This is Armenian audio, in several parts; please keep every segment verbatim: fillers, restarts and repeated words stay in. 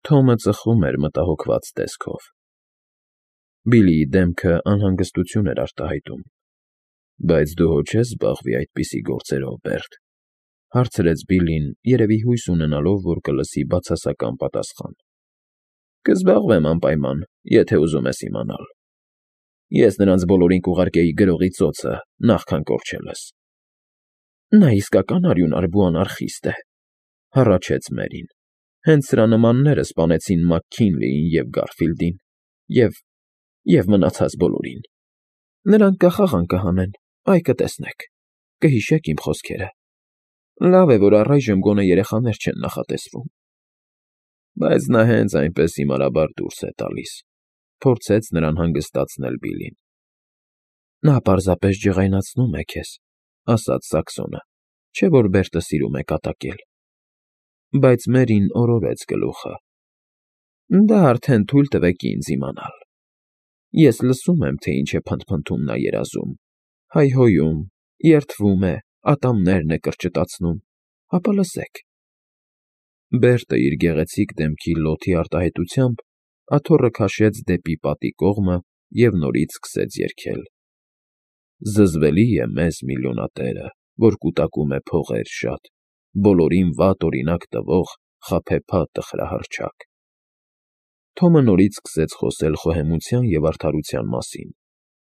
Թոմը ծխում էր մտահոգված տեսքով։ Բիլլիի դեմքը անհանգստություն էր արտահայտում։ ֊ Բայց դու հո չես զբաղվի այդպիսի գործերով, Բերտ,֊ հարցրեց Բիլլին, երևի հույս ունենալով, որ կլսի բացասական պատասխան։ ֊ Կզբաղվեմ անպայման, եթե ուզում ես իմանալ։ Ես նրանց բոլորին կուղարկեի գրողի ծոցը, նախքան կորչելս։ ֊ Նա իսկական արյունարբու անարխիստ է,֊ հառաչեց Մերին։֊ Հենց սրա նմանները սպանեցին Մաքքինլիին և Գարֆիլդին, և… և մնացած բոլորին։ Նրանք կախաղան կհանեն, այ կտեսնեք, կհիշեք իմ խոսքերը։ Լավ է, որ առայժմ գոնե երեխաներ չեն նախատեսվում։ Բայց նա հենց այնպես հիմարաբար դուրս է տալիս,֊ փորձեց նրան հանգստացնել Բիլլին։ ֊ Նա պարզապես ջղայնացնում է քեզ,֊ ասաց Սաքսոնը,֊ չէ՞ որ Բերտը սիրում է կատակել։ Բայց Մերին օրորեց գլուխը։ ֊ Դա արդեն թույլ տվեք ինձ իմանալ։ Ես լսում եմ, թե ինչ է փնթփնթում նա երազում, հայհոյում, երդվում է, ատամներն է կրճտացնում, հապա լսեք… Բերտը իր գեղեցիկ դեմքի լոթի արտահայտությամբ աթոռը քաշեց դեպի պատի կողմը և նորից սկսեց երգել. Զզվելի է մեզ միլիոնատերը, որ կուտակում է փողեր շատ, բոլորին վատ օրինակ տվող խաբեբա տխրահռչակ… Թոմը նորից սկսեց խոսել խոհեմության և արդարության մասին,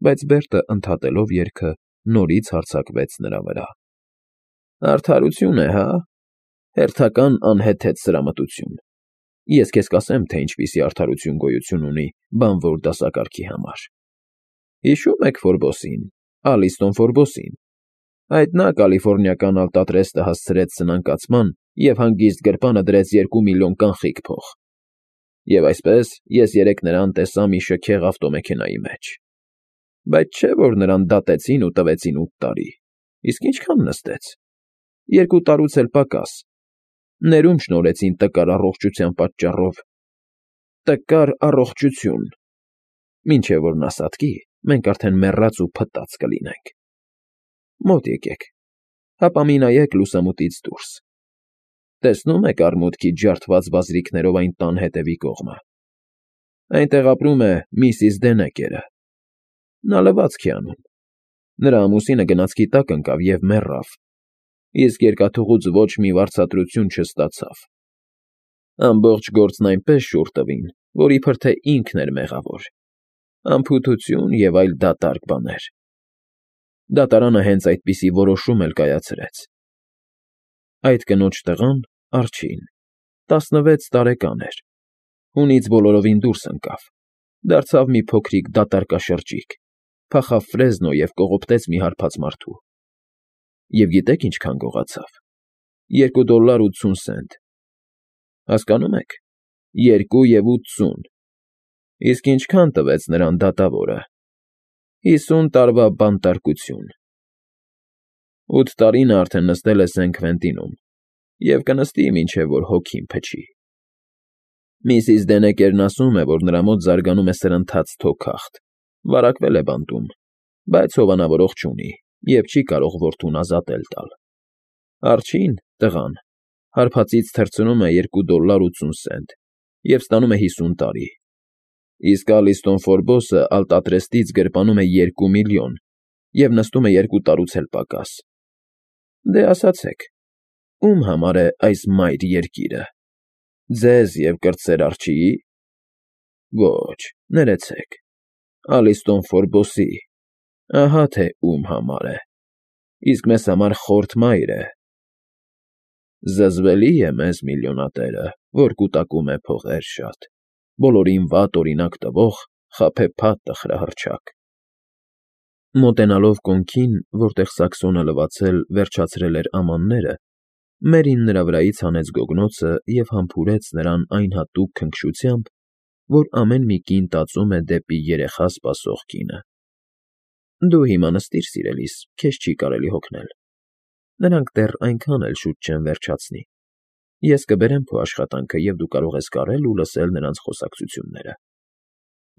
բայց Բերտը, ընդհատելով երգը, նորից հարձակվեց նրա վրա։ ֊ Արդարություն է, հա՞… Հերթական անհեթեթ սրամտություն… Ես քեզ կասեմ, թե ինչպիսի արդարություն գոյություն ունի բանվոր դասակարգի համար… Հիշո՞ւմ եք Ֆորբոսին, Ալիստոն Ֆորբոսին… Այդ նա կալիֆոռնիական Ալտատրեստը հասցրեց սնանկացման և հանգիստ գրպանը դրեց երկու միլիոն կանխիկ փող… Եվ այսպես ես երեկ նրան տեսա մի շքեղ ավտոմեքենայի մեջ… Բայց չէ՞ որ նրան դատեցին ու տվեցին ութ տարի… Իսկ ինչքա՞ն նստեց… Երկու տարուց էլ պակաս… Ներում շնորհեցին տկար առողջության պատճառով… Տկար առողջություն… Մինչև որ նա սատկի, մենք արդեն մեռած ու փտած կլինենք… Մոտ եկեք, հապա մի նայեք լուսամուտից դուրս… Տեսնո՞ւմ եք արմուտքի ջարդված վազրիքներով այն տան հետևի կողմը… Այնտեղ ապրում է միսիս Դենեկերը… Նա լվացք է անում… Նրա ամուսինը գնացքի տակ ընկավ և մեռավ, իսկ երկաթուղուց ոչ մի վարձատրություն չստացավ… Ամբողջ գործն այնպես շուռ տվին, որ իբր թե ինքն էր մեղավոր… Անփութություն և այլ դատարկ բաներ… Դատարանը հենց այդպիսի որոշում էլ կայացրեց… Այդ կնոջ տղան՝ Արջին, տասնվեց տարեկան էր, հունից բոլորովին դուրս ընկավ, դարձավ մի փոքրիկ դատարկաշրջիկ, փախավ Ֆրեզնո և կողոպտեց մի հարբած մարդու… Եվ գիտե՞ք ինչքան գողացավ… Երկու դոլլար ութսուն սենտ… Հասկանո՞ւմ եք, երկու և ութսուն… Իսկ ինչքա՞ն տվեց նրան դատավորը… Հիսուն տարվա բանտարկություն… Ութ տարի նա արդեն նստել է Սեն Քվենտինում և կնստի, մինչև որ հոգին փչի… Միսիս Դենեկերն ասում է, որ նրա մոտ զարգանում է սրընթաց թոքախտ, վարակվել է բանտում, բայց հովանավորող չունի և չի կարող որդուն ազատել տալ… Արջին, տղան, հարբածից թռցնում է երկու դոլլար ութսուն սենտ և ստանում է հիսուն տարի, իսկ Ալիստոն Ֆորբոսը Ալտատրեստից գրպանում է երկու միլիոն և նստում է երկու տարուց էլ պակաս… Դե ասացեք, ո՞ւմ համար է այս մայր երկիրը… Ձեզ և կրտսեր Արջի՞ի… Ոչ, ներեցեք, Ալիստոն Ֆորբոսի… Ահա թե ում համար է… Իսկ մեզ համար խորթ մայր է… Զզվելի է մեզ միլիոնատերը, որ կուտակում է փողեր շատ, բոլորին վատ օրինակ տվող խաբեբա տխրահռչակ… Մոտենալով կոնքին, որտեղ Սաքսոնը լվացել, վերջացրել էր ամանները, Մերին նրա վրայից հանեց գոգնոցը և համբուրեց նրան այն հատուկ քնքշությամբ, որ ամեն մի կին տածում է դեպի երեխա սպասող կինը։ ֊ Դու հիմա նստիր, սիրելիս, քեզ չի կարելի հոգնել… Նրանք դեռ այնքան էլ շուտ չեն վերջացնի… Ես կբերեմ քո աշխատանքը, և դու կարող ես կարել ու լսել նրանց խոսակցությունները…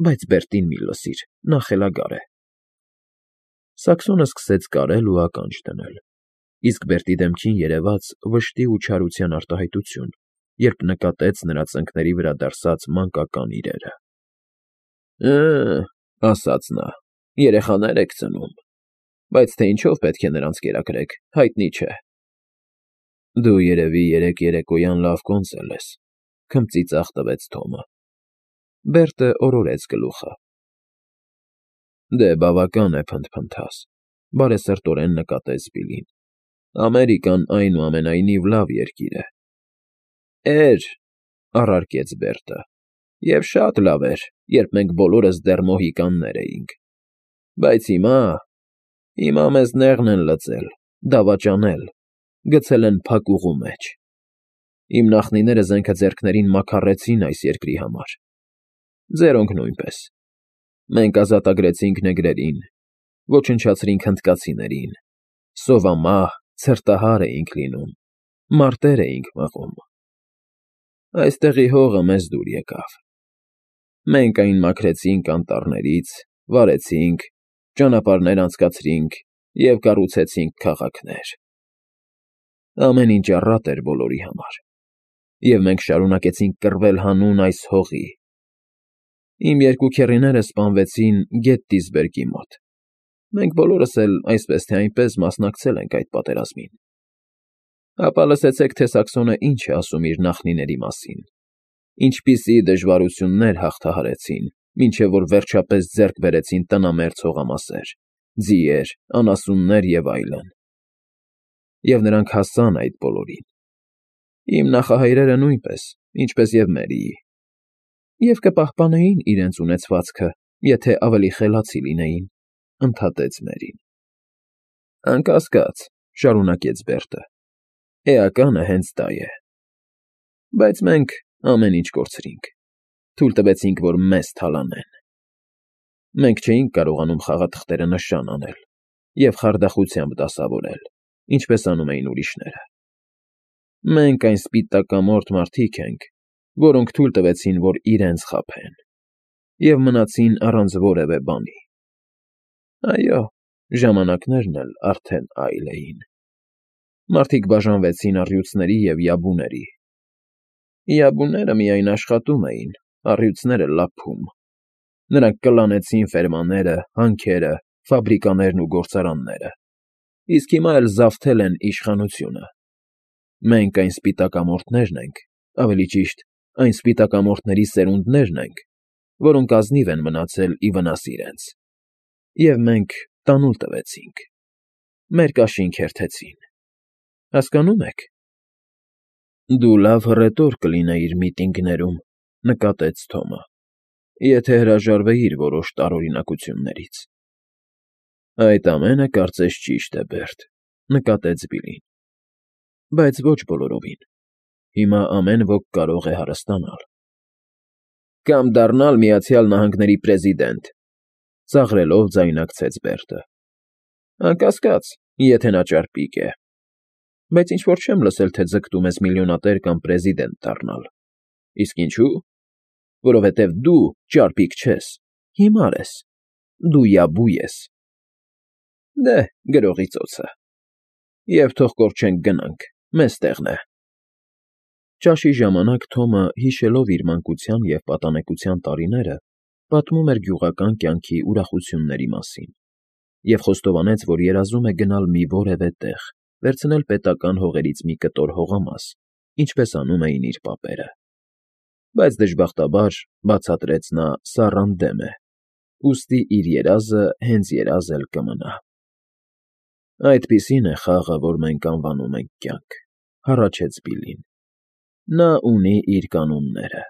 Բայց Բերտին մի լսիր, նա խելագար է… Սաքսոնը սկսեց կարել ու ականջ դնել, իսկ Բերտի դեմքին երևաց վշտի ու չարության արտահայտություն, երբ նկատեց նրա ծնկների վրա դարսած մանկական իրերը։ «Ը՜, ֊ ասաց նա, ֊ երեխաներ եք ծնում, բայց թե ինչով պետք է նրանց կերակրեք, հայտնի չէ»։ Դու, երևի, երեկ երեկոյան լավ կոնծել ես,֊ քմծիծաղ տվեց Թոմը։ Բերտը օրորեց գլուխը։ Դե բավական է փնթփնթաս,֊ բարեսրտորեն նկատեց Բիլլին։ Ամերիկան, այնուամենայնիվ, լավ երկիր է։ Էր,֊ առարկեց Բերտը,֊ և շատ լավ էր, երբ մենք բոլորս դեռ մոհիկաններ էինք։ Բայց հիմա… հիմա մեզ նեղն են լծել, դավաճանել, գցել են փակուղու մեջ։ Իմ նախնիները զենքը ձեռքներին մաքառեցին այս երկրի համար, ձերոնք նույնպես։ Մենք ազատագրեցինք նեգրերին, ոչնչացրինք հնդկացիներին, սովամահ, ցրտահար էինք լինում, մարտեր էինք մղում։ Այստեղի հողը մեզ դուր եկավ։ Մենք այն մաքրեցինք անտառներից, վարեցինք, ճանապարհներ անցկացրինք և կառուցեցինք քաղաքներ։ Ամեն ինչ առատ էր բոլորի համար, և մենք շարունակեցինք կռվել հանուն այս հողի։ Իմ երկու քեռիները սպանվեցին Գետտիսբերգի մոտ։ Մենք բոլորս էլ այսպես թե այնպես մասնակցել ենք այդ պատերազմին։ Ապա լսեցեք, թե Սաքսոնը ինչ է ասում իր նախնիների մասին, ինչպիսի դժվարություններ հաղթահարեցին, մինչև որ վերջապես ձեռք բերեցին տնամերձ հողամասեր, ձիեր, անասուններ և այլն։ Եվ նրանք հասան այդ բոլորին։ Իմ նախահայրերը նույնպես, ինչպես և մերիի։ Եվ կպահպանեին իրենց ունեցվածքը, եթե ավելի խելացի լինեին,֊ ընդհատեց Մերին։ Անկասկած,֊ շարունակեց Բերտը,֊ էականը հենց դա է։ Բայց մենք ամեն ինչ կորցրինք, թույլ տվեցինք, որ մեզ թալանեն։ Մենք չէինք կարողանում խաղաթղթերը նշան անել և խարդախությամբ դասավորել, ինչպես անում էին ուրիշները։ Մենք այն սպիտակամորթ մարդիկ ենք, որոնք թույլ տվեցին, որ իրենց խաբեն, և մնացին առանց որևէ բանի։ Այո, ժամանակներն էլ արդեն այլ էին։ Մարդիկ բաժանվեցին առյուծների և յաբուների։ Յաբուները միայն աշխատում էին, առյուծները՝ լափում։ Նրանք կլանեցին ֆերմաները, հանքերը, ֆաբրիկաներն ու գործարանները, իսկ հիմա էլ զավթել են իշխանությունը։ Մենք այն սպիտակամորթներն ենք, ավելի ճիշտ, այն սպիտակամորթների սերունդներն ենք, որոնք ազնիվ են մնացել ի վնաս իրենց, և մենք տանուլ տվեցինք, մեր կաշին քերթեցին, հասկանո՞ւմ եք։ Դու լավ հռետոր կլինեիր միտինգներում,֊ նկատեց Թոմը,֊ եթե հրաժարվեիր որոշ տարօրինակություններից։ Այդ ամենը կարծես ճիշտ է, Բերտ,֊ նկատեց Բիլլին։ Բայց ոչ բոլորովին։ Հիմա ամեն ոք կարող է հարստանալ։ Կամ դառնալ Միացյալ Նահանգների պրեզիդենտ,֊ ծաղրելով ձայնարկեց Բերտը։ Անկասկած, եթե նա ճարպիկ է։ Բայց ինչ֊որ չեմ լսել, թե ձգտում ես միլիոնատեր կամ պրեզիդենտ դառնալ։ Իսկ ինչո՞ւ։ Որովհետև դու ճարպիկ չես, հիմար ես, դու յաբու ես։ Դե, գրողի ծոցը։ Եվ թող կորչենք գնանք, մեզ տեղն է։ Ճաշի ժամանակ Թոմը, հիշելով իր մանկության և պատանեկության տարիները, պատմում էր գյուղական կյանքի ուրախությունների մասին և խոստովանեց, որ երազում է գնալ մի որևէ տեղ, վերցնել պետական հողերից մի կտոր հողամաս, ինչպես անում էին իր պապերը։ Բայց դժբախտաբար, բացատրեց նա, սառան դեմ է, ուստի իր երազը հենց երազ էլ կմնա։ Այդպիսին է խաղը, որ մենք անվանում ենք կյանք,֊ հառաչեց Բիլլին։ Նա ունի իր կանոնները։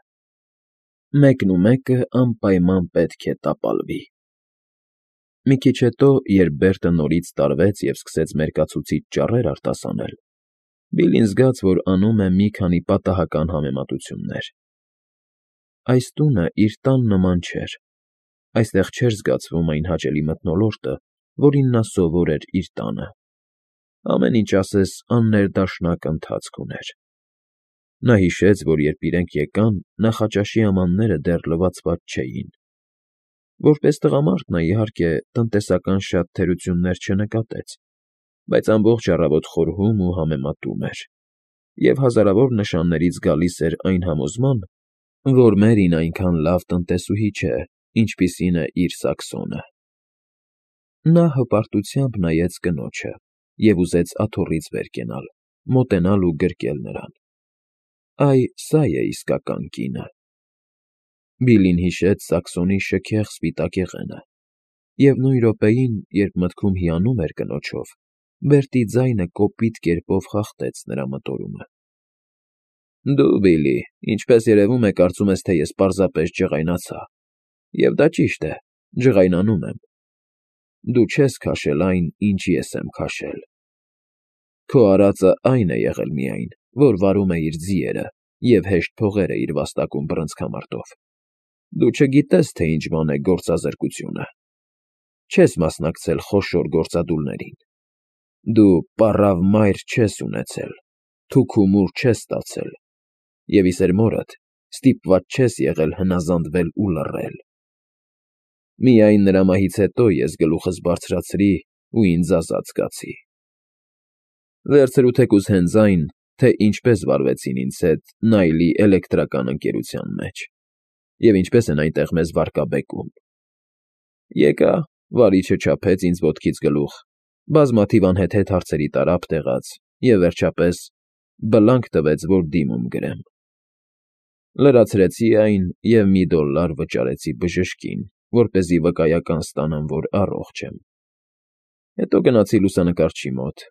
Մեկնումեկը անպայման պետք է տապալվի։ Մի քիչ հետո, երբ Բերտը նորից տարվեց և սկսեց մերկացուցիչ ճառեր արտասանել, Բիլլին զգաց, որ անում է մի քանի պատահական համեմատություններ։ Այս տունը իր տան նման չէր, այստեղ չէր զգացվում այն հաճելի մթնոլորտը, որին նա սովոր էր իր տանը։ Ամեն ինչ ասես աններդաշնակ ընթացք ուներ։ Նա հիշեց, որ երբ իրենք եկան, նախաճաշի ամանները դեռ լվացված չէին։ Որպես տղամարդ նա, իհարկե, տնտեսական շատ թերություններ չնկատեց, բայց ամբողջ առավոտ խորհում ու համեմատում էր։ և հազարավոր նշաններից գալիս էր այն համոզման, որ Մերին այնքան լավ տնտեսուհի չէ, ինչպիսին է իր Սաքսոնը։ Նա հպարտությամբ նայեց կնոջը և ուզեց աթոռից վեր կենալ, մոտենալ ու գրկել նրան. «Այ սա է իսկական կինը»։ Բիլլին հիշեց Սաքսոնի շքեղ սպիտակ եղենը, և նույն րոպեին, երբ մտքում հիանում էր կնոջով, Բերտի ձայնը կոպիտ կերպով խախտեց նրա մտորումը։ «Դու, Բիլլի, ինչպես երևում է, կարծում ես, թե ես պարզապես ջղայնացա, և դա ճիշտ է, ջղայնանում եմ։ Դու չես քաշել այն, ինչ ես եմ քաշել։ Քո արածը այն է եղել միայն, որ վարում է իր ձիերը և հեշտ փողեր է իր վաստակում բռնցքամարտով։ Դու չգիտես, թե ինչ բան է գործազրկությունը։ Չես մասնակցել խոշոր գործադուլներին։ Դու պառավ մայր չես ունեցել, թուք ու մուր չես ստացել, և, ի սերմորդ, ստիպված չես եղել հնազանդվել ու լռել։ Միայն նրա մահից հետո ես գլուխս բարձրացրի ու ինձ ազատ զգացի։ Վերցրու թեկուզ հենց այն, թե ինչպես վարվեցին ինձ հետ Նայլի էլեկտրական ընկերության մեջ, և ինչպես են այնտեղ մեզ վարկաբեկում։ Եկա, վարիչը չափեց ինձ ոտքից գլուխ, բազմաթիվ անհեթեթ հարցերի տարափ տեղաց և, վերջապես, բլանկ տվեց, որ դիմում գրեմ։ Լրացրեցի այն և մի դոլլար վճարեցի բժշկին, որպեսզի վկայական ստանամ, որ առողջ եմ։ Հետո գնացի լուսանկարչի մոտ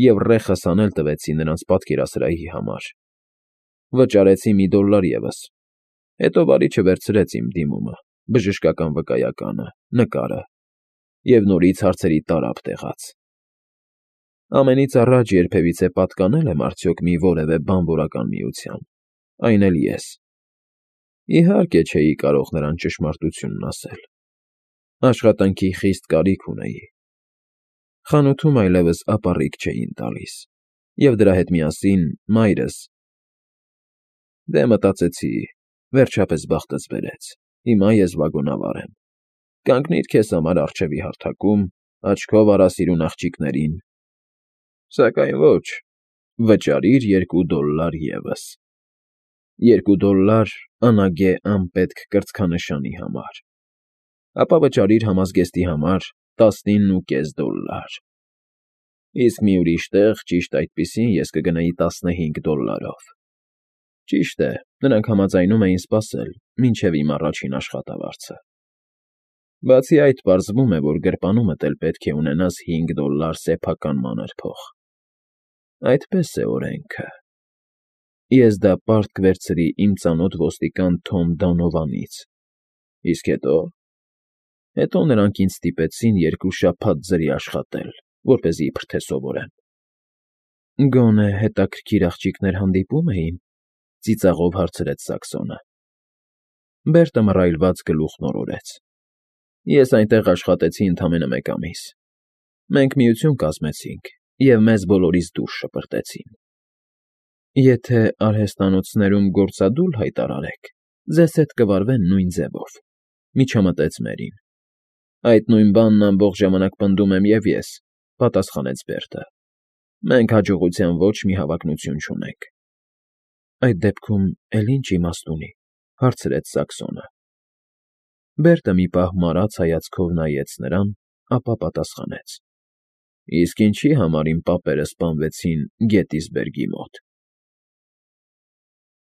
և ռեխս հանել տվեցի նրանց պատկերասրահի համար։ Վճարեցի մի դոլլար ևս։ Հետո վարիչը վերցրեց իմ դիմումը, բժշկական վկայականը, նկարը և նորից հարցերի տարափ տեղաց։ Ամենից առաջ երբևիցե պատկանել եմ արդյոք մի որևէ բանվորական միության, այն էլ ես։ Իհարկե չէի կարող նրան ճշմարտությունն ասել։ Աշխատանքի խիստ կարիք ունեի։ Խանութում այլևս ապառիկ չէին տալիս, և դրա հետ միասին մայրս… Դե, մտածեցի, վերջապես բախտս բերեց, հիմա ես վագոնավար եմ։ Կանգնիր քեզ համար առջևի հարթակում, աչքով արա սիրուն աղջիկներին… Սակայն ոչ, վճարիր երկու դոլլար ևս։ Երկու դոլլար անագե անպետք կրծքանշանի համար։ Ապա վճարիր համազգեստի համար տասնինն ու կես դոլլար։ Իսկ մի ուրիշ տեղ, ճիշտ այդպիսին, ես կգնայի տասնհինգ դոլլարով։ Ճիշտ է, նրանք համաձայնում էին սպասել մինչև իմ առաջին աշխատավարձը։ Բացի այդ, պարզվում է, որ գրպանումդ էլ պետք է ունենաս հինգ դոլլար սեփական մանր փող։ Այդպես է օրենքը։ Ես դա պարտք վերցրի իմ ծանոթ ոստիկան Թոմ Դոնովանից։ Իսկ հետո… Հետո նրանք ինձ ստիպեցին երկու շաբաթ ձրի աշխատել, որպեսզի իբրթե սովորեմ։ Գոնե հետաքրքիր աղջիկներ հանդիպո՞ւմ էին,֊ ծիծաղով հարցրեց Սաքսոնը։ Բերտը մռայլված գլուխն օրորեց։ Ես այնտեղ աշխատեցի ընդամենը մեկ ամիս։ Մենք միություն կազմեցինք և մեզ բոլորիս դուրս շպրտեցին։ Եթե արհեստատնոցներում գործադուլ հայտարարեք, ձեզ հետ կվարվեն նույն ձևով,֊ միջամտեց Մերին։ Այդ նույն բանն ամբողջ ժամանակ պնդում եմ և ես,֊ պատասխանեց Բերտը։ Մենք հաջողության ոչ մի հավակնություն չունենք։ Այդ դեպքում էլ ի՞նչ իմաստ ունի,֊ հարցրեց Սաքսոնը։ Բերտը մի պահ մարած հայացքով նայեց նրան, ապա պատասխանեց. Իսկ ինչի համար իմ պապերը սպանվեցին Գետիսբերգի մոտ։